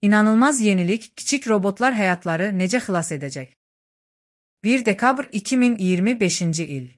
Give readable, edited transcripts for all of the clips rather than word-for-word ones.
İnanılmaz yenilik, kiçik robotlar həyatları necə xilas edəcək? 1 dekabr 2025-ci il.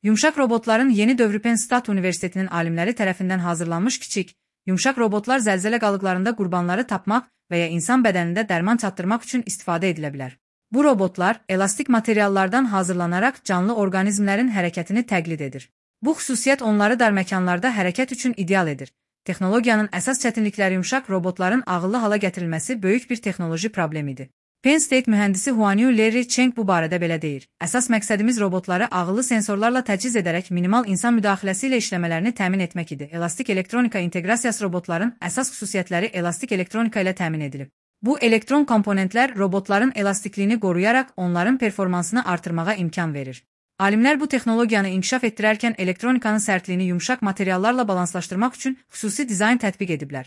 Yumşaq robotların yeni dövrü Penn State Universitetinin alimləri tərəfindən hazırlanmış kiçik, yumşaq robotlar zəlzələ qalıqlarında qurbanları tapmaq və ya insan bədənində dərman çatdırmaq üçün istifadə edilə bilər. Bu robotlar elastik materiallardan hazırlanaraq canlı orqanizmlərin hərəkətini təqlid edir. Bu xüsusiyyət onları dar məkanlarda hərəkət üçün ideal edir. Texnologiyanın əsas çətinlikləri yumşaq robotların ağıllı hala gətirilməsi böyük bir texnoloji problemidir. Penn State mühəndisi Huanyu Larry Cheng bu barədə belə deyir. Əsas məqsədimiz robotları ağıllı sensorlarla təchiz edərək minimal insan müdaxiləsi ilə işləmələrini təmin etmək idi. Elastik elektronika inteqrasiyası robotların əsas xüsusiyyətləri elastik elektronika ilə təmin edilib. Bu elektron komponentlər robotların elastikliyini qoruyaraq onların performansını artırmağa imkan verir. Alimlər bu texnologiyanı inkişaf etdirərkən elektronikanın sərtliyini yumşaq materiallarla balanslaşdırmaq üçün xüsusi dizayn tətbiq ediblər.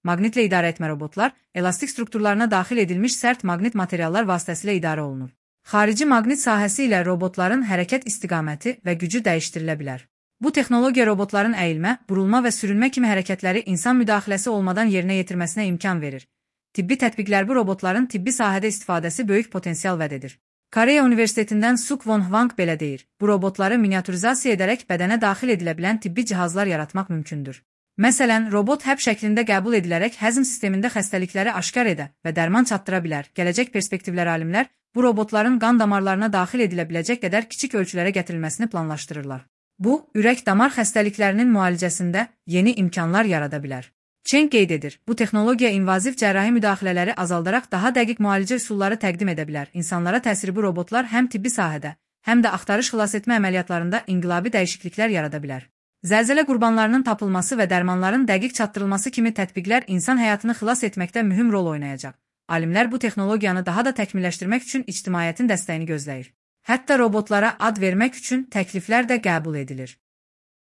Maqnitlə idarə etmə robotlar, elastik strukturlarına daxil edilmiş sərt maqnit materiallar vasitəsilə idarə olunur. Xarici maqnit sahəsi ilə robotların hərəkət istiqaməti və gücü dəyişdirilə bilər. Bu texnologiya robotların əyilmə, burulma və sürünmə kimi hərəkətləri insan müdaxiləsi olmadan yerinə yetirməsinə imkan verir. Tibbi tətbiqlər bu robotların tibbi sahədə istifadəsi böyük potensial vəd edir. Koreya Universitetindən Suk Won Hwang belə deyir. Bu robotları miniaturizasiya edərək bədənə daxil edilə bilən tibbi cihazlar yaratmaq mümkündür. Məsələn, robot həb şəklində qəbul edilərək həzm sistemində xəstəlikləri aşkar edə və dərman çatdıra bilər. Gələcək perspektivlər alimlər bu robotların qan damarlarına daxil edilə biləcək qədər kiçik ölçülərə gətirilməsini planlaşdırırlar. Bu, ürək-damar xəstəliklərinin müalicəsində yeni imkanlar yarada bilər. Cheng qeyd edir, bu texnologiya invaziv cərrahi müdaxilələri azaldaraq daha dəqiq müalicə üsulları təqdim edə bilər. İnsanlara təsiri bu robotlar həm tibbi sahədə, həm də axtarış xilas etmə əməliyyatlarında inqilabi dəyişikliklər yarada bilər. Zəlzələ qurbanlarının tapılması və dərmanların dəqiq çatdırılması kimi tətbiqlər insan həyatını xilas etməkdə mühüm rol oynayacaq. Alimlər bu texnologiyanı daha da təkmilləşdirmək üçün ictimaiyyətin dəstəyini gözləyir. Hətta robotlara ad vermək üçün təkliflər də qəbul edilir.